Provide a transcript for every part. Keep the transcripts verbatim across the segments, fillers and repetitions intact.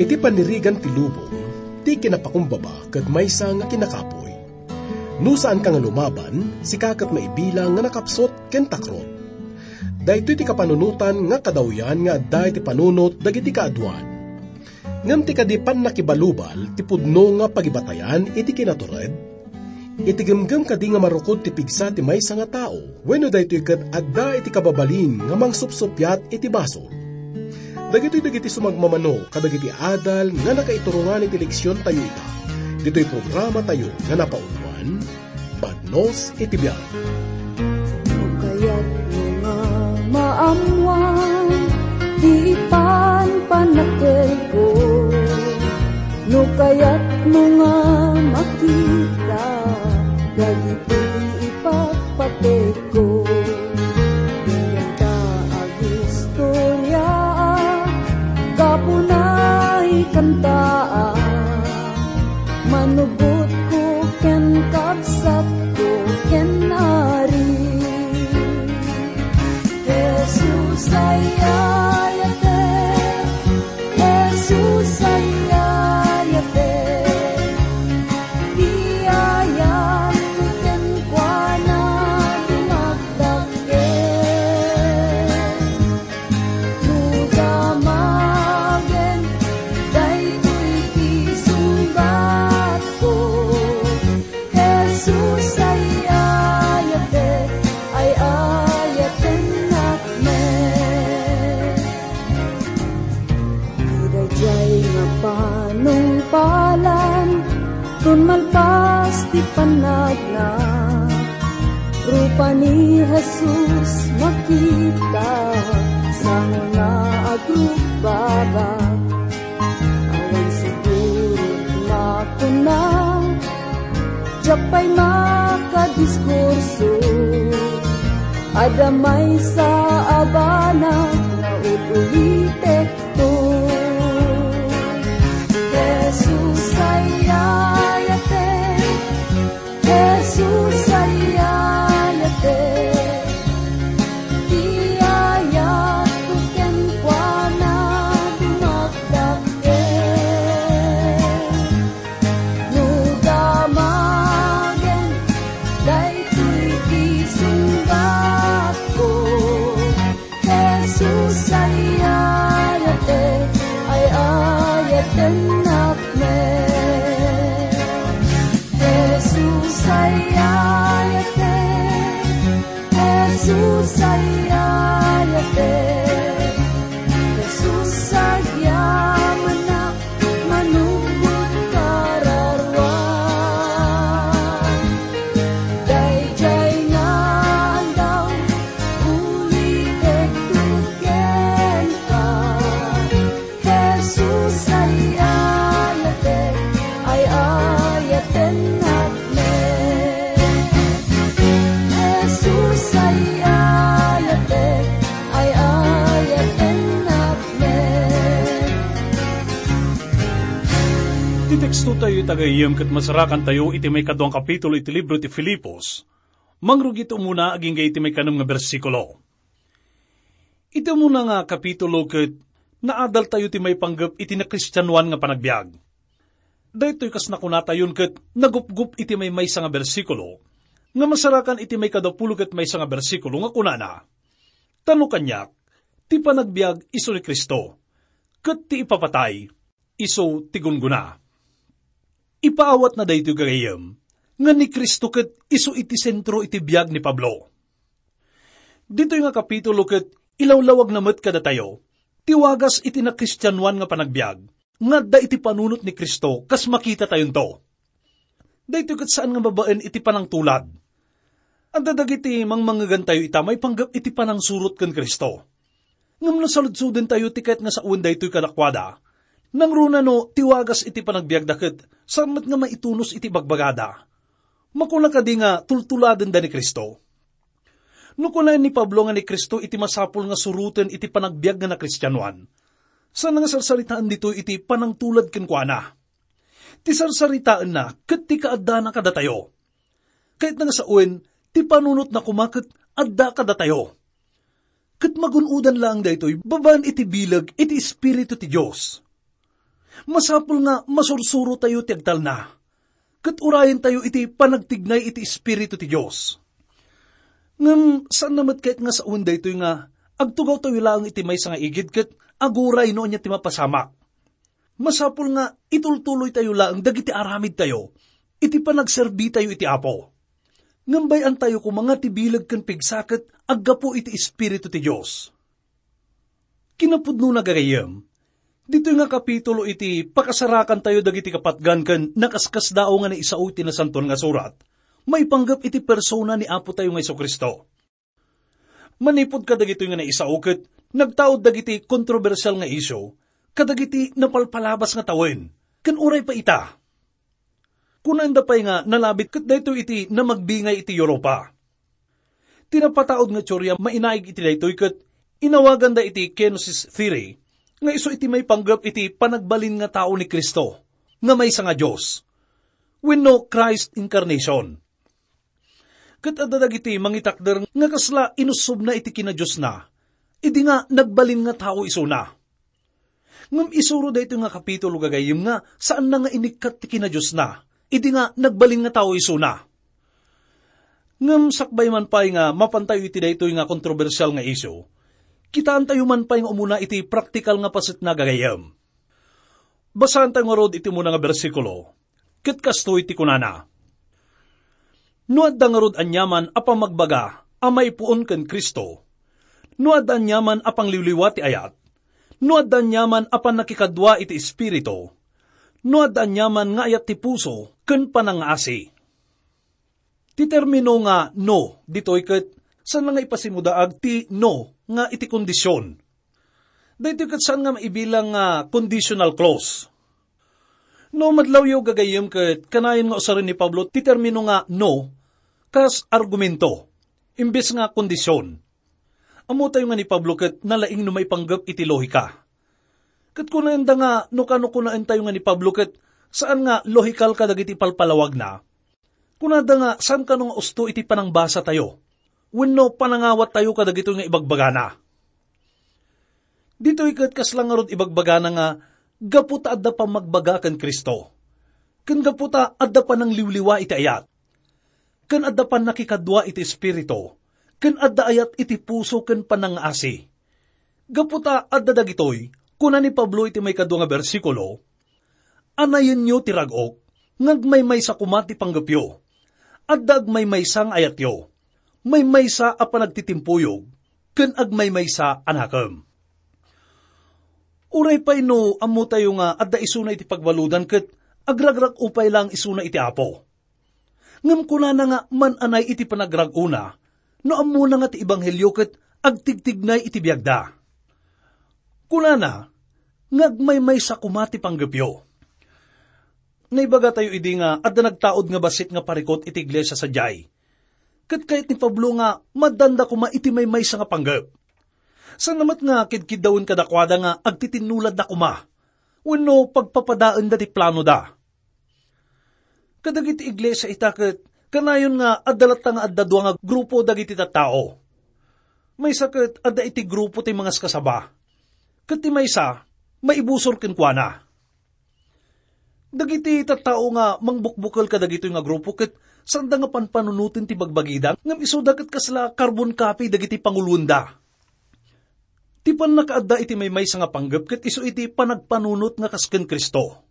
Iti panirigan ti lubong, ti kinapakumbaba ket maysa nga kinakapoy. No saanka nga lumaban, sika ket maibilang nga nakapsut ken takrot. Daytoy ti kapanunotan nga kadawyan nga adda iti panunot dagiti kaaduan. Ngem ti kadi pannakibalubal ti pudno nga pagibatayan iti kinatured, iti gemgem kadi nga marukod ti pigsa ti maysa nga tao, wenno daytoy ket adda iti kababalin nga mangsupsuppiat iti basol. Dagitoy dagiti sumagmamano kadagiti adal nga nakaiturongan iti leksiontayo ita, ditoy programatayo nga napauloan, Bagnos iti Biag. No kayatmo nga maammuan ti ipanpannakkelko, no kayatmo nga makita dagiti ipatpateg ko. Dayta agistorya, gapuna ikantaak, manubotko ken kabsatko ken Ari. Jesus, ay ayatek. Jesus, ay ayatek, ti ayatko kenkuana dumagdakkel. No damagen daytoy ti sungbatko, Jesus, ay ayatek, ay ayatennak met. Ti daydiay nga panungpalan, tummalpas ti pannagna. Rupa ni Jesus makita, sango nga agrugbabak. Awan siguro makuna, diak pay makadiskurso. Adda maysa a banag nga ud-ulitekto. Jesus, ay ayatek. Jesus, ay ayatek. Ti ayatko kenkuana dumagdakkel. No damagen daytoy ti sungbatko, Jesus, ay ayatek, ay ayatennak met. Jesus, ay ayatek, Jesus, ay ayatek. Jesus, agyamanak, manugod kararuan. Daydiay nga aldaw, ulitek kenka. Jesus, ay ayatek, ay ayatennak met. Jesus, ay ayatek, ay ayatennak met. Ti tekstotayo ita gayyem ket masarakantayo iti maikadua a kapitulo iti libro ti Filipos. Mangrugi ti umuna agingga iti maikanem nga bersikulo. Iti umuna nga kapitulo ket naadaltayo ti maipanggep iti nakristianoan nga panagbiag. Daytoy kas nakunatayon ket nagupgup iti maymaysa nga bersikulo nga masarakan iti maikadapulo ket maysa nga bersikulo nga kunana, "Ta no kaniak, ti panagbiag isu ni Cristo, ket ti ipapatay isu ti gunggona." Ipaawatna daytoy gagayyem nga ni Cristo ket isu iti sentro iti biag ni Pablo. Ditoy nga kapitulo ket ilawlawagna met kadatayo ti wagas iti nakristianoan nga panagbiag nga adda iti panunot ni Cristo kas makitatayonto. Daytoy ket saan nga babaen iti panangtulad. Adda dagiti mangmangegantayo ita maipanggep iti panangsurot ken Cristo. Ngem no saludsodentayo ti kayat nga sawen daytoy kadakuada, nangruna no ti wagas iti panagbiagda ket saan met nga maitunos iti bagbagada. Makuna kadi nga tultuladenda ni Cristo? No kunaen ni Pablo nga ni Cristo iti masapul nga suroten iti panagbiag nga nakristianoan, saan nga sarsaritaen ditoy iti panangtulad kenkuana. Ti sarsaritaenna ket ti kaaddana kadatayo. Kayatna nga sawen, ti panunotna koma ket adda kadatayo. Ket magun-odan laeng daytoy babaen iti bileg iti Espiritu ti Dios. Masapul nga masursurotayo ti agtalna, ket urayentayo iti panagtignay iti Espiritu ti Dios. Ngem saan na met ket nga sawen daytoy nga agtugawtayo laeng iti maysa nga igid ket aguray no ania ti mapasamak. Masapul nga itultuloytayo laeng dagiti aramidtayo iti panagserbitayo iti Apo. Ngem bay-antayo koma nga ti bileg ken pigsa ket aggapu iti Espiritu ti Dios. Kinapudnona, gagayyem, ditoy nga kapitulo iti pakasarakantayo dagiti kapatgan ken nakaskasdaaw nga naisao iti Nasantoan nga Surat, maipanggep iti persona ni Apotayo nga Jesu-Cristo. Manipud kadagitoy nga naisao ket nagtaud dagiti kontrobersial nga isyu kadagiti napalpalabas nga tawen, ken uray pay ita. Kunaenda pay nga nalabit ket daytoy iti namagbingay iti Europa. Ti napataud nga teoria mainaig iti daytoy ket inawaganda iti kenosis theory, nga isu iti maipanggep iti panagbalin nga tao ni Cristo, nga maysa nga Dios, wenno Christ incarnation. Ket adda dagiti mangitakder nga kasla inussobna iti kinadiosna, idi nga nagbalin nga tao isuna. Ngem isuro daytoy nga kapitulo, gagayyem, nga saanna nga inikkat ti kinadiosna, idi nga nagbalin nga tao isuna. Ngem sakbay man pay nga mapantayo iti daytoy nga kontrobersial nga isyu, kitaantayo man pay nga umuna iti praktikal nga pasetna, gagayyem. Basaentayo ngarud iti umuna nga bersikulo, ket kastoy ti kunana: No adda ngarud aniaman a pammagbaga a maipuon ken Cristo, no adda aniaman a pangliwliwa ti ayat, no adda aniaman a pannakikadua iti Espiritu, no adda aniaman nga ayat ti puso ken panangngaasi. Ti termino nga "no" ditoy ket saan nga ipasimudaag ti "no" nga iti kondision. Daytoy ket saan nga maibilang nga conditional clause. No madlawyo, gagayyem, ket kanayon nga usaren ni Pablo ti termino nga "no" kas argumento imbes nga kondision. Ammotayo nga ni Pablo ket nalaing no maipanggep iti lohika. Ket kunaenda nga no kano kunaentayo nga ni Pablo ket saan nga lohikal kadagiti palpalawagna, kunada nga saan kano nga usto iti panangbasatayo wenno panangawattayo kadagitoy nga ibagbagana. Ditoy ket kasla ngarud ibagbagana nga gapu ta adda pammagbaga ken Cristo, ken gapu ta adda panangliwliwa iti ayat, ken adda pannakikadua iti Espiritu, ken adda ayat iti puso ken panangngaasi. Gapu ta adda dagitoy, kuna ni Pablo iti maikadua nga bersikulo, "Anayenyo ti rag-ok, nga agmaymaysa koma ti panggepyo. Adda agmaymaysa nga ayatyo, maymaysa a panagtitimpuyog, ken agmaymaysa a nakem." Uray pay no ammotayo nga adda isuna iti pagbaludan ket agragrak-o pay laeng isuna iti Apo. Ngem kunana nga man-anay iti panagrag-ona no ammona nga ti ebanghelio ket agtigtignay iti biagda. Kunana nga agmaymaysa koma ti panggepyo. Naibagatayo idi nga adda nagtaud nga bassit nga parikut iti iglesia sadiay. Ket kayat ni Pablo nga maaddanda koma iti maymaysa nga panggep. Saan met nga kidkiddawen kadakuada nga agtitinnuladda koma wenno pagpapadaenda ti planoda. Kadagiti iglesia ita ket kanayon nga adda latta nga adda dua nga grupo dagiti tattao. Maysa ket adda iti grupo ti mangaskasaba, ket ti maysa maibusor kenkuana. Dagiti tattao nga mangbukbukel kadagitoy nga grupo ket saanda nga panpanunoten ti bagbagida, ngem isuda ket kasla carbon copy dagiti panguloenda. Ti pannakaadda iti maymaysa nga panggep ket isu iti panagpanunot nga kas ken Cristo.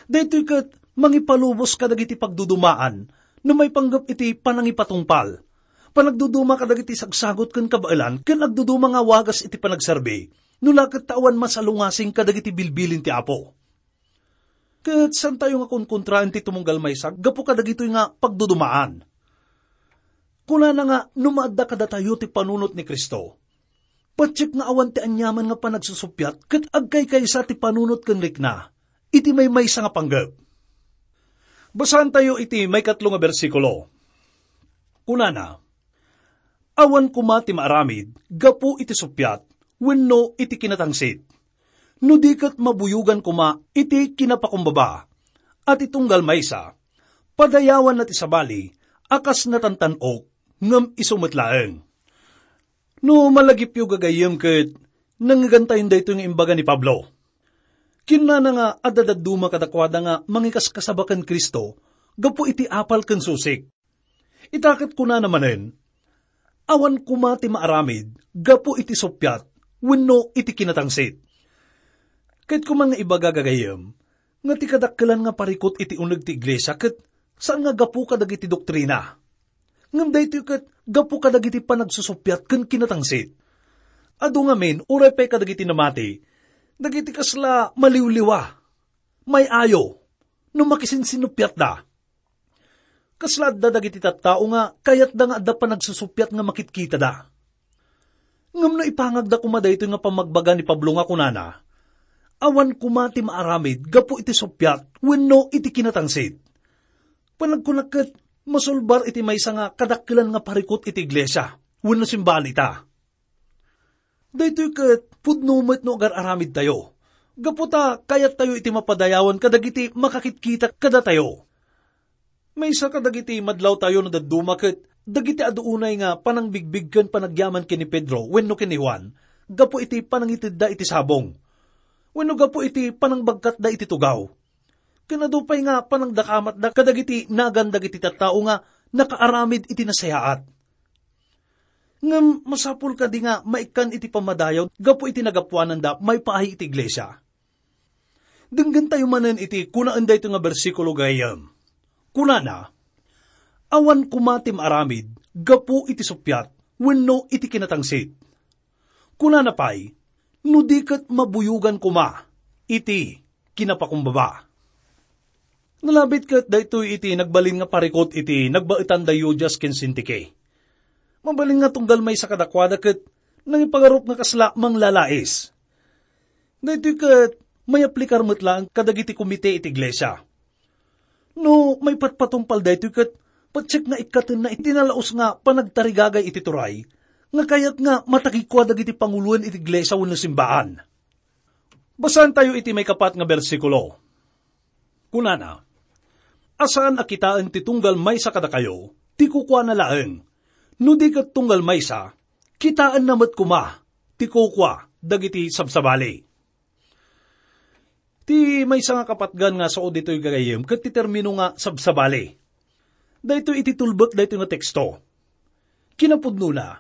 Daytoy ket mangipalubos kadagiti pagdudumaan no maipanggep iti panangipatungpal, panagduduma kadagiti sagsagut ken kabaelan, ken agduduma nga wagas iti panagserbi, no la ket ta awan masalungasing kadagiti bilbilin ti Apo. Ket saantayo nga konkontraen ti tumunggal maysa gapu kadagitoy nga pagdudumaan. Kunana nga no maadda kadatayo ti panunot ni Cristo, patiek nga awan ti aniaman nga panagsusuppiat ket agkaykaysa ti panunot ken rikna iti maymaysa nga panggep. Basaantayo iti maikatlo nga bersikulo. Kunana, "Awan koma ti maaramid gapu iti suppiat wenno iti kinatangsit, no di ket mabuyogan koma iti kinapakumbaba, a ti tunggal maysa, padayawanna ti sabali a kas natantan-ok, ngem isu met laeng." No malagipyo, gagayyem, ket nangngegantayon daytoy nga imbaga ni Pablo. Kinunana nga adda dadduma kadakuada nga mangikaskasaba ken Cristo gapu iti apal ken susik. Ita ket kunana manen, "Awan koma ti maaramid gapu iti suppiat wenno iti kinatangsit." Ket koma nga ibaga, gagayyem, nga ti kadakkelan nga parikut iti uneg ti iglesia ket saan nga gapu kadagiti doktrina. Ngem daytoy ket gapu kadagiti panagsusuppiat ken kinatangsit. Adu ngamin, uray pay kadagiti namati, dagiti kasla maliwliwa, may-ayo, no makisinsinuppiatda. Kasla adda dagiti tattao nga kayatda nga adda panagsusuppiat nga makitkitada. Ngem no ipangagda koma daytoy nga pammagbaga ni Pablo nga kunana, "Awan koma ti maaramid gapu iti suppiat wenno iti kinatangsit." Panagkunak ket masulbar iti maysa nga kadakkelan nga parikut iti iglesia wenno simbaan ita. Daytoy ket pudno met no agar-aramidtayo, gapu ta kayattayo iti mapadayawan kadagiti makakitkita kadatayo. Maysa kadagiti madlawtayo no dadduma ket dagiti adu unay nga panangbigbig ken panagyaman ken ni Pedro wenno ken ni Juan gapu iti panangitedda iti sabong wenno gapu iti panangbagkatda iti tugaw. Ken adu pay nga panangdakamatda kadagiti nagan dagiti tattao nga nakaaramid iti nasayaat. Ngem masapul kadi nga maikkan iti pammadayaw gapu iti nagapuananda maipaay iti iglesia? Denggentayo manen iti kunaen daytoy nga bersikulo, gayyem. Kunana, "Awan koma ti maaramid gapu iti suppiat wenno iti kinatangsit." Kunana pay, "No di ket mabuyogan koma iti kinapakumbaba." Nalabit ket daytoy iti nagbalin nga parikut iti nagbaetan da Judas ken Sintike. Mabalin nga tunggal maysa kadakuada ket nangipagarup nga kasla manglalais. Daytoy ket mayaplikar met laeng kadagiti komite iti iglesia. No maipatpatungpal daytoy ket patsek nga ikkatenna iti nalaus nga panagtarigagay iti turay nga kayat nga matagikua dagiti panguloen iti iglesia wenno simbaan. Basaentayo iti maikapat nga bersikulo. Kunana, "A saan a kitaen ti tunggal maysa kadakayo ti kukuana laeng, no di ket tunggal maysa, kitaenna met koma ti kukua dagiti sabsabali." Ti maysa nga kapatgan nga sao ditoy, gagayyem, ket ti termino nga sabsabali. Daytoy iti tulbek daytoy nga teksto. Kinapudnona,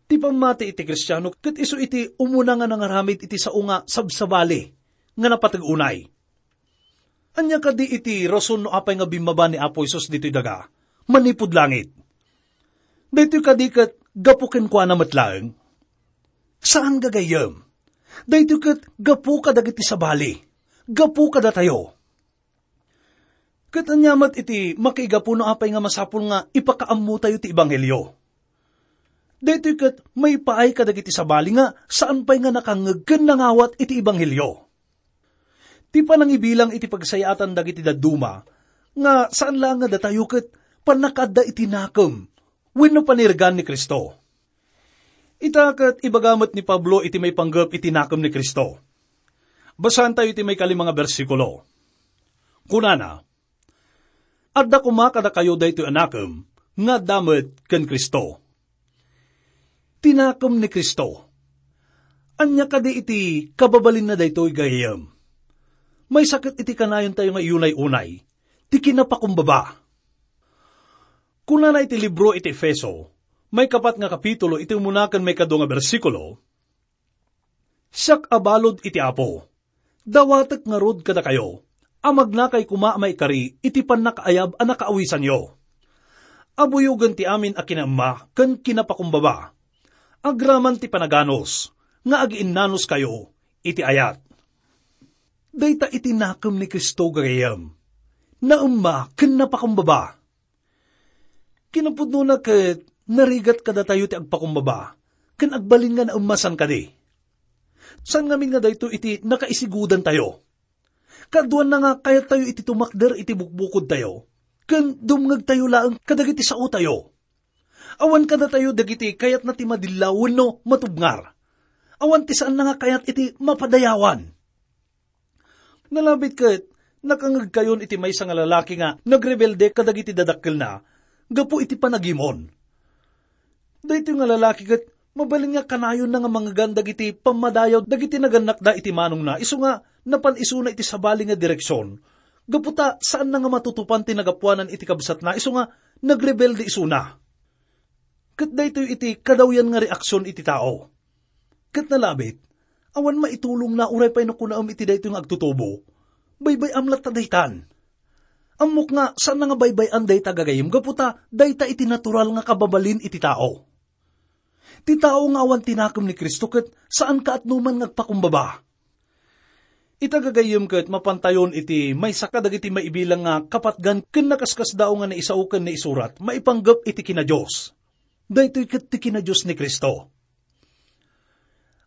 ti pammati iti Kristiano ket isu iti umuna nga nangaramid iti sao nga sabsabali nga napateg unay. Ania kadi iti rason no apay nga bimmaba ni Apo Jesus ditoy daga manipud langit? Daytoy kadi ket gapu kenkuana met laeng? Saan, gagayyem. Daytoy ket gapu kadagiti sabali, gapu kadatayo. Ket ania met iti makigapu no apay nga masapul nga ipakaammotayo ti ebanghelio? Daytoy ket maipaay kadagiti sabali nga saan pay nga nakangngeg ken nangawat iti ebanghelio. Ti panangibilang iti pagsayaatan dagiti dadduma nga saan laeng nga datayo ket pannakaadda iti nakem wenno panirigan ni Cristo. Ita ket ibaga met ni Pablo iti maipanggep iti nakem ni Cristo. Basaentayo iti maikalima nga bersikulo. Kunana, "Adda koma kadakayo daytoy a nakem nga adda met ken Cristo." Ti nakem ni Cristo. Ania kadi iti kababalinna daytoy, gayyem? Maysa ket iti kanayontayo nga iyunay-unay, ti kinapakumbaba. Kunana iti libro iti Efeso, maikapat nga kapitulo, iti umuna ken maikadu nga bersikulo, "Siak a balud iti Apo, dawatek ngarud kadakayo a magnakay koma a maikari iti pannakaayab a nakaawisanyo. Abuyogen ti amin a kinaemma ken kinapakumbaba. Agraman ti panaganus nga agiinnanuskayo iti ayat." Dayta iti nakem ni Cristo, gagayyem. Naemma ken napakumbaba. Kinapudnona ket narigat kadatayo ti agpakumbaba ken agbalin nga naemma, saan kadi? Saan ngamin nga daytoy iti nakaisigudantayo? Kaaduanna nga kayattayo iti tumakder iti bukbukodtayo ken dumngegtayo laeng kadagiti saotayo. Awan kadatayo dagiti kayatna ti madillaw wenno matubngar. Awan ti saanna nga kayat iti mapadayawan. Nalabit ket nakangngegkayon iti maysa nga lalaki nga nagrebelde kadagiti dadakkelna gapu iti panagimon. Daytoy nga lalaki ket Mabalin nga kanayonna nga mangngegan dagiti pammadayaw dagiti nagannakda iti manongna, isu nga napan isuna iti sabali nga direksion. Gapu ta saanna nga matutupan ti nagapuanan iti kabsatna, isu nga nagrebelde isuna. Ket daytoy iti kadawyan nga reaksion iti tao. Ket nalabit, awan maitulongna uray pay no kunaem iti daytoy nga agtutubo. Baybay-am latta daytan. Ammok nga saanna nga baybay-an dayta gagayyem gapu ta dayta iti natural nga kababalin iti tao. Ti tao nga awan tinakem ni Cristo ket saan kaatnoman nga agpakumbaba. Ita gagayyem ket mapantayon iti maysa kadagiti maibilang nga kapatgan ken nakaskasdaaw nga naisao ken naisurat maipanggep iti kinadios. Daytoy ket ti kinadios ni Cristo.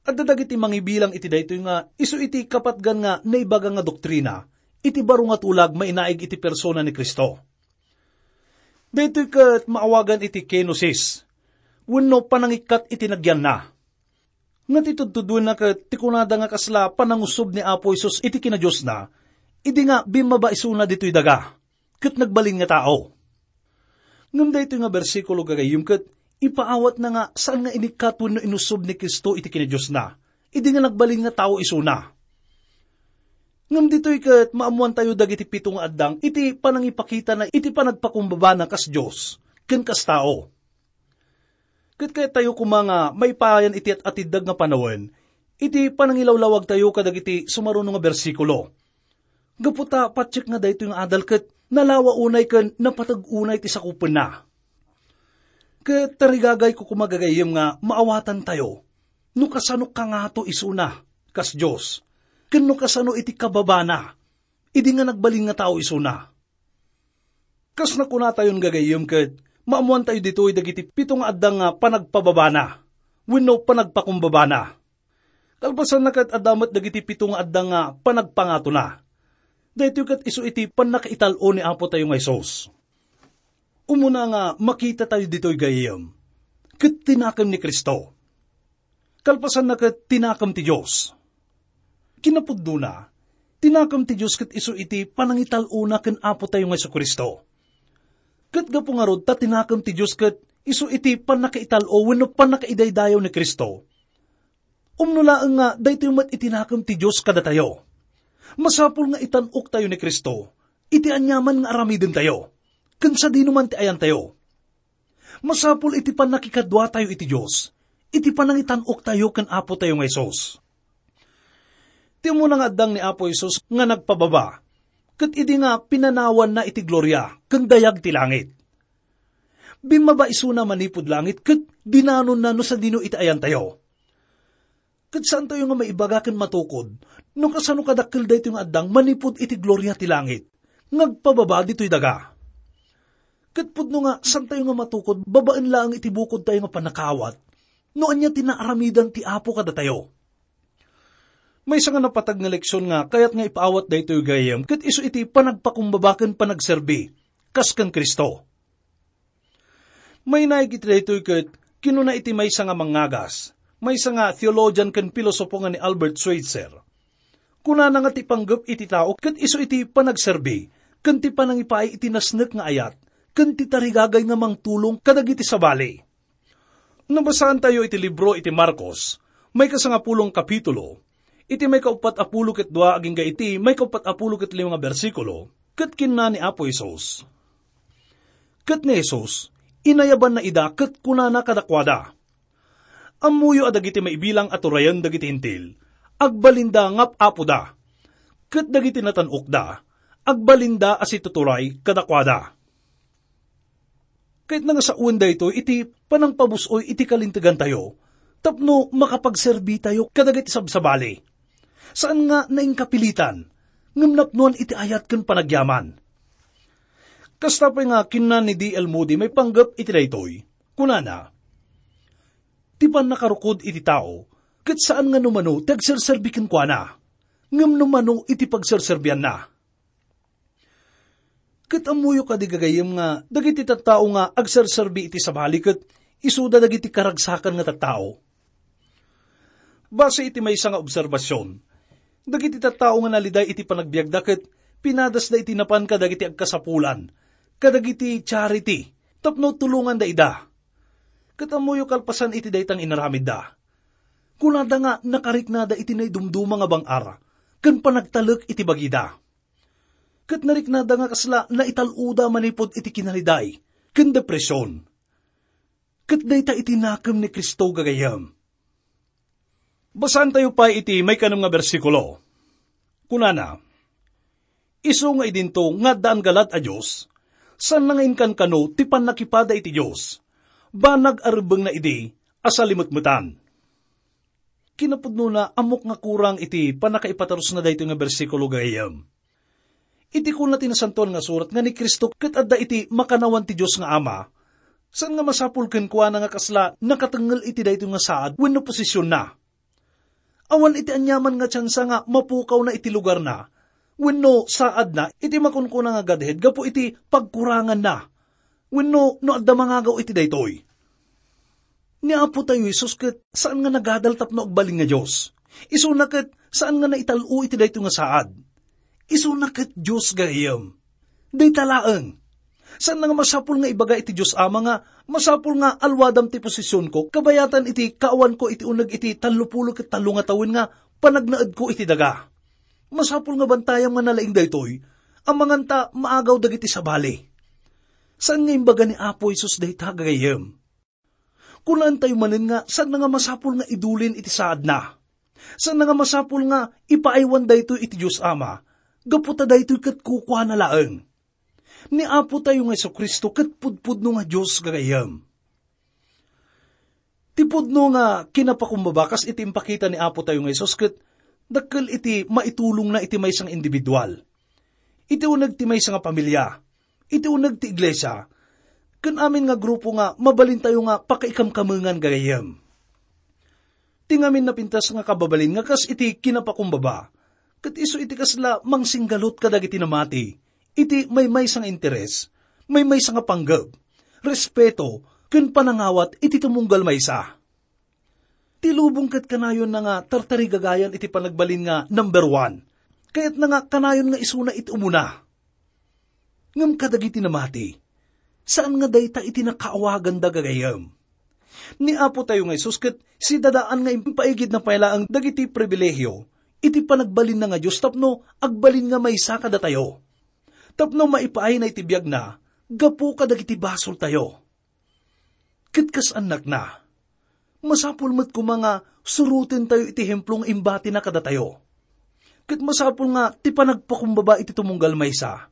Adda dagiti mangibilang iti daytoy nga isu iti kapatgan nga naibaga nga doktrina iti baro nga tulag mainaig iti persona ni Cristo. Daytoy ket maawagan iti kenosis wenno panangikkat iti nagyanna. Nga ti tudtuduenna ket ti kunada nga kasla panangusob ni Apo Jesus iti kinadiosna, idi nga bimmaba isuna ditoy daga, ket nagbalin nga tao. Ngem daytoy nga bersikulo gagayyem ket ipaawatna nga saan nga inikkat wenno inusob ni Cristo iti kinadiosna, idi nga nagbalin nga tao isuna. Ngem ditoy ket maammoantayo dagiti pito nga addang iti panangipakitana iti panagpakumbabana kas Dios ken kas tao. Ket kayat tayo koma nga maipayan iti at-atiddeg nga panawen iti panangilawlawagtayo kadagiti sumaruno nga bersikulo. Gapu ta patiek nga daytoy nga adal ket nalawa unay ken napateg unay ti sakupenna. Ket tarigagayko koma gagayyem nga maawatantayo no kasano kangato isuna kas Dios, ken no kasano iti kababana, idi nga nagbalin nga tao isuna. Kas nakunatayon gagayyem ket maammoantayo ditoy dagiti pito nga addang nga panagpababana wenno panagpakumbabana. Kalpasanna ket adda met dagiti pito nga addang nga panagpangatona. Daytoy ket isu iti pannakaital-o ni Apo tayo nga Jesus. Umuna nga makita tayo ditoy gayyem, ket tinakem ni Cristo. Kalpasanna ket tinakem ti Dios. Kinapudnona, tinakem ti Dios ket isu iti panangital-ona ken Apo tayo nga Jesu-Cristo. Ket gapu ngarud ta tinakem ti Dios ket isu iti pannakaital-o wenno pannakaidaydayaw ni Cristo. Umno laeng nga daytoy met iti nakem ti Dios kadatayo. Masapul nga itan-oktayo ni Cristo iti aniaman nga aramidentayo, ken sadino man ti ayantayo. Masapul iti pannakikaduatayo iti Dios, iti panangitan-oktayo ken Apo tayo nga Jesus. Ti umuna nga addang ni Apo Jesus nga nagpababa, ket idi nga pinanawanna iti gloria ken dayag ti langit. Bimmaba isuna manipud langit ket dinanonna no sadino iti ayantayo. Ket saantayo nga maibaga ken matukod no kasano kadakkel daytoy nga addang manipud iti gloria ti langit nga agpababa ditoy daga. Ket pudno nga saantayo nga matukod babaen laeng iti bukodtayo nga pannakaawat no ania ti naaramidan ti Apo kadatayo. Maysa nga napateg nga leksion nga kayat nga ipaawat daytoy gayyem ket isu iti panagpakumbaba ken panagserbi kas ken Cristo. Mainaig iti daytoy ket kinuna iti maysa nga mangngagas, maysa nga theologian ken pilosopo nga ni Albert Schweitzer. Kunana nga ti panggep iti tao ket isu iti panagserbi ken ti panangipaay iti nasnek nga ayat ken ti tarigagay nga mangtulong kadagiti sabali. No basaantayo iti libro iti Marcos, maikasangapulong kapitulo, iti maikauppat a pulo ket dua agingga iti maikauppat a pulo ket lima nga bersikulo, ket kinuna ni Apo Jesus. Ket ni Jesus, inayabanna ida ket kunana kadakuada, "Ammoyo a dagiti maibilang a turayen dagiti Hentil, agbalinda nga ap-apoda, ket dagiti natan-okda, agbalinda a situturay kadakuada." Kayatna nga sawen daytoy iti panangpabus-oy iti kalintegantayo tapno makapagserbitayo kadagiti sabsabali. Saan nga nainkapilitan, ngem napnoan iti ayat ken panagyaman. Kasta pay nga kinuna ni D L Moody maipanggep iti daytoy. Kunana, "Ti pannakarukod iti tao, ket saan nga no mano ti agserserbi kenkuana, ngem no mano iti pagserserbianna." Ket ammoyo kadi gagayyem nga dagiti tattao nga agserserbi iti sabali ket isuda dagiti karagsakan nga tattao? Base iti maysa nga obserbasion, dagiti tattao nga naliday iti panagbiagda ket pinadasda iti napan kadagiti agkasapulan, kadagiti charity, tapno tulonganda ida. Ket ammoyo kalpasan iti dayta nga inaramidda. Kunada nga nakariknada iti naidumduma nga bang-ar ken panagtalek iti bagida. Ket nariknada nga kasla naital-oda manipud iti kinaliday ken depresion. Ket dayta iti nakem ni Cristo, gagayyem. Basaentayo pay iti maikanem nga bersikulo. Kunana, "Isu nga idinto nga addaan galad a Dios, saan nga inkankano ti pannakipada iti Dios, banag a rebbengna idi a salimetmetan." Kinapudnona, ammok nga kurang iti pannakaipatarusna daytoy nga bersikulo, gagayyem. Iti kuna ti Nasantoan nga Surat nga ni Cristo ket adda iti makannawan ti Dios nga Ama, saan nga masapul kenkuana nga kasla nakatengngel iti daytoy nga saad wenno posisionna. Awan iti aniaman nga tiansa nga mapukawna iti lugarna wenno saadna iti makunkuna nga Godhead gapu iti pagkuranganna wenno no adda mangagaw iti daytoy. Ni Apo tayo Jesus ket saan nga nagadal tapno agbalin nga Dios. Isuna ket saan nga naital-o iti daytoy nga saad. Isuna ket Dios, gagayyem. Dayta laeng. Saan nga masapul nga ibaga iti Dios Ama nga, "Masapul nga alwadam ti posisionko, kabayatan iti kaawanko iti uneg iti tallopulo ket tallo nga tawen nga panagnaedko iti daga. Masapul nga bantayam nga nalaing daytoy, amangan ta maagaw dagiti sabali." Saan nga imbaga ni Apo Jesus dayta, gagayyem. Kunaentayo manen nga saan nga masapul nga idulin iti saadna. Saan nga masapul nga ipaaywan daytoy iti Dios Ama, gapu ta daytoy ket kukuana laeng. Ni Apo tayo nga Jesu-Cristo ket pudpudno nga Dios, gagayyem. Ti pudno nga kinapakumbaba kas iti impakita ni Apo tayo nga Jesus ket dakkel iti maitulongna iti maysa nga individual, iti uneg ti maysa nga pamilia, iti uneg ti iglesia, ken amin nga grupo nga mabalintayo nga pakaikamkamengan, gagayyem. Ti ngamin napintas nga kababalin nga kas iti kinapakumbaba, ket isu iti kasla mangsinggalut kadagiti namati iti maymaysa nga interes, maymaysa nga panggep, respeto, ken panangawat iti tumunggal maysa. Ti lubong ket kanayonna nga tartarigagayan iti panagbalin nga number one. Kayatna nga kanayon nga isuna iti umuna. Ngem kadagiti namati, saan nga dayta iti nakaawaganda, gagayyem. Ni Apo tayo nga Jesus ket sidadaan nga impaigidna pay laeng dagiti pribilehiyo iti panagbalinna nga Dios tapno agbalin nga maysa kadatayo. Tapno maipaayna iti biagna gapu kadagiti basoltayo. Ket kas annakna, masapul met koma nga surotentayo iti ehemplo nga imbatina kadatayo. Ket masapul nga ti panagpakumbaba iti tumunggal maysa,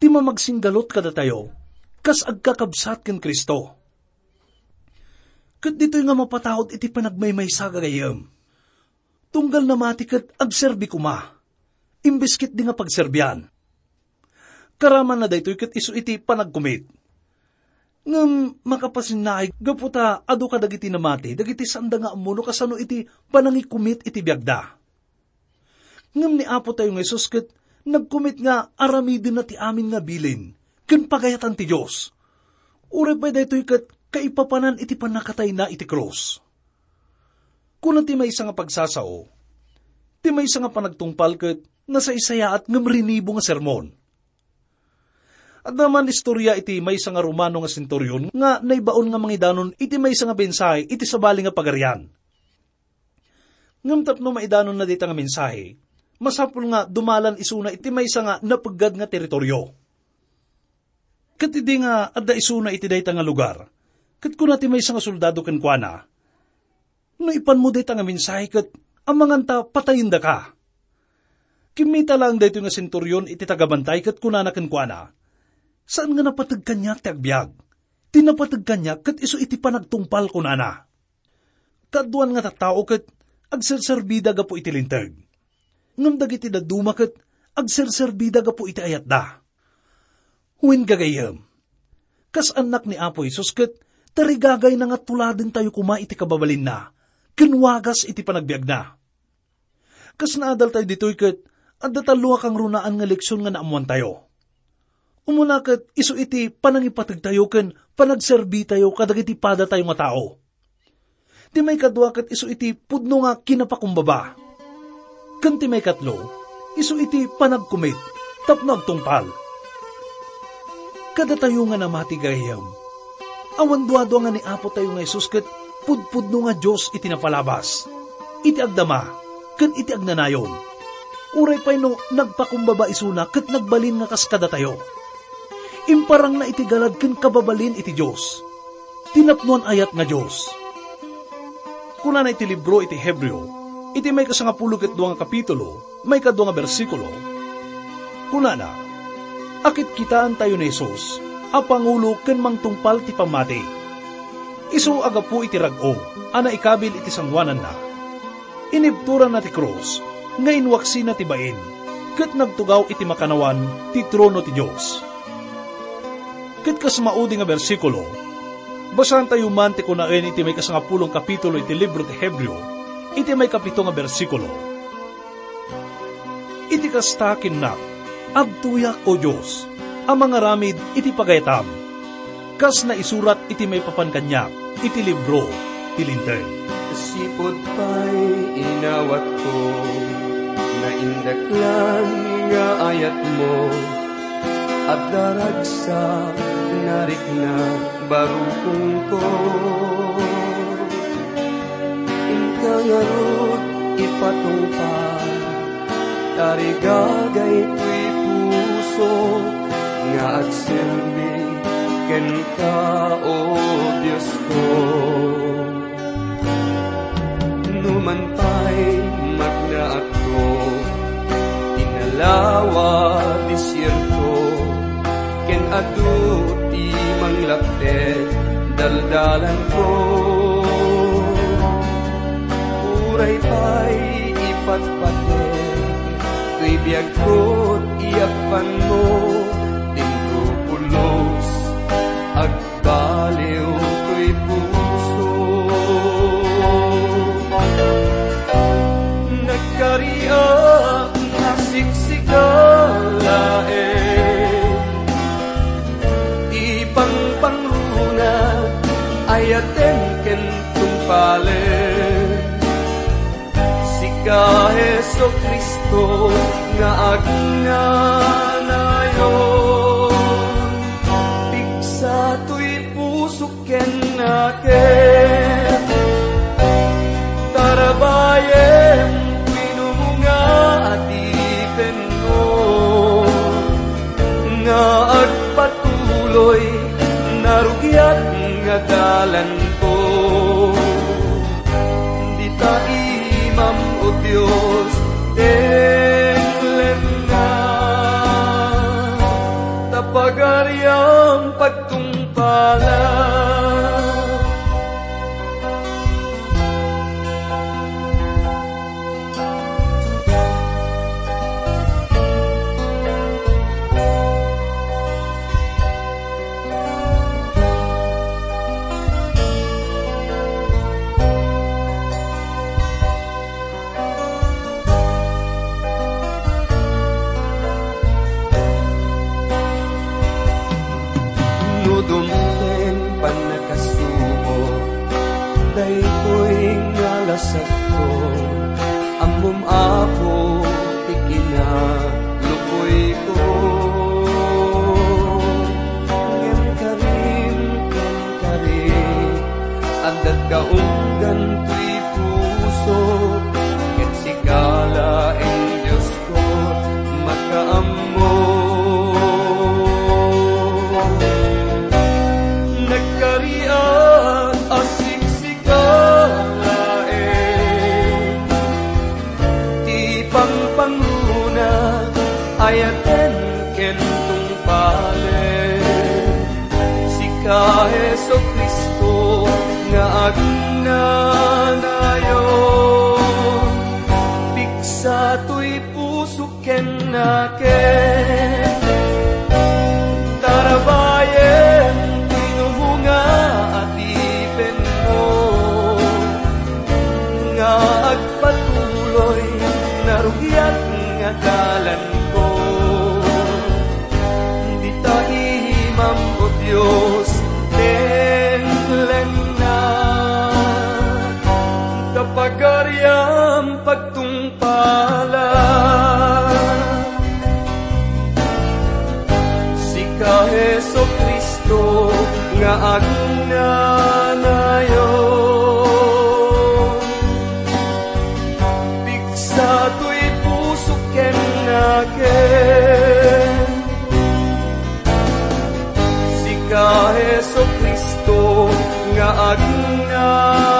ti mamagsinggalut kadatayo, kas agkakabsat ken Cristo. Ket ditoy nga mapataud iti panagmaymaysa, gagayyem. Tunggal namati ket agserbi koma, imbes ketdi nga pagserbian. Karamanna daytoy ket isu iti panagkumit. Ngem makapasinnaig gapu ta adu kadagiti namati dagiti saanda nga ammo no kasano iti panangikumit iti biagda. Ngem ni Apo tayo nga Jesus ket nagkumit nga aramidenna ti amin nga bilin ken pagayatan ti Dios. Uray pay daytoy ket kaipapanan iti pannakatayna iti krus. Kuna ti maysa nga pagsasao, ti maysa nga panagtungpal ket nasaysayaat ngem rinibo nga sermon. Adda man istoria iti maysa nga Romano nga senturyon nga naibaon nga mangidanon iti maysa nga mensahe iti sabali nga pagarian. Ngem tapno maidanonna dayta nga mensahe, masapul nga dumalan isuna iti maysa nga napeggad nga teritorio. Ket idi nga adda isuna iti dayta nga lugar, ket kuna ti maysa nga soldado kenkuana, "No ipanmo dayta nga mensahe ket amangan ta patayendaka." Kimmita laeng daytoy nga senturyon iti tagabantay ket kunana kenkuana, "Saan nga napateg kaniak ti agbiag. Ti napateg kaniak ket isu iti panagtungpal," kunana. Kaaduan nga tattao ket agserserbida gapu iti linteg. Ngem dagiti dadduma ket agserserbida gapu iti ayatda. Wen, gagayyem, kas annak ni Apo Jesus ket tarigagayna nga tuladentayo koma iti kababalinna ken wagas iti panagbiagna. Kas naadaltayo ditoy ket adda tallo a kangrunaan nga leksion nga naammoantayo. Umuna ket isu iti panangipategtayo ken panagserbitayo kadagiti padatayo nga tao. Ti maikadua ket isu iti pudno nga kinapakumbaba. Ken ti maikatlo, isu iti panagkumit tapno agtungpal. Kadatayo nga namati gayam, Awan duadua nga ni Apotayo nga Jesus ket pudpudno nga Dios iti napalabas, iti agdama, ken iti agnanayon. Uray pay no nagpakumbaba isuna ket nagbalin nga kas kadatayo. Imparangna iti galad ken kababalin iti Dios, ti napnoan ayat nga Dios. Kunana iti libro iti Hebreo, iti maikasangapulo ket dua nga kapitulo, maikadua nga bersikulo, kunana, "Akitkitaantayo ni Jesus a pangulo ken mangtungpal ti pammati. Isu a gapu iti rag-o a naikabil iti sangoananna, inibturanna ti krus nga inwaksina ti bain, ket nagtugaw iti makannawan ti trono ti Dios." Ket kas maudi nga bersikulo, basaentayo man ti kunaen iti maikasangapulo nga kapitulo iti libro ti Hebreo, iti maikapito nga bersikulo, "Iti kasta, kinnak, agtuyak, O Dios, a mangaramid iti pagayatam, kas naisurat iti maipapan kaniak iti libro ti Linteg." Sipud pay inawatko, naindaklan nga ayatmo, adda ragsak nga rikna barukongko. Inka ngarud ipatungpal, tarigagay toy puso nga agserbi kenka, O Diosko. Numan pay magnaatko, inalawa desierto, ken adu ti manglaptek daldalanko. Uray pay ipatpatek toy biagko ti appanmo, tinto pulos, ag- baliw toy puso. Nagkariak a siksika laeng ti pangpangruna, ayaten ken tungpalen. Sika, Jesu-Cristo, nga agnanayon, pigsa toy pusok ken nakem. Tarabayem toy numo nga adipenmo, nga agpatuloy narugiat nga dalanko. Dita imam, O Dios, tenglenna, ta pagariam pagtungpalan. No dumteng pannakasubo, daytoy nga lasagko, ammom, Apo, ti kinalukoyko. Ngem karim, ngem karim, addatka unggan toy puso, ket sika laeng, Dios, makaammo. Nagkariak a siksika laeng ti pangpangruna, ayaten ken tungpalen. Sika, Jesu-Cristo, nga agnanayon, pigsa toy puso ken nakem. Tarabayem ti numo nga adipenmo, nga agpatuloy narugiat nga dalanko. Dita imam, O Dios, tenglenna, ta pagariam pagtungpalan. Nayon, pigsa toy pusok ken nakem. Sika, Jesu-Cristo, nga agnanayon,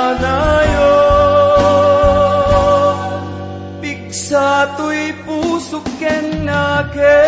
pigsa toy pusok ken nakem.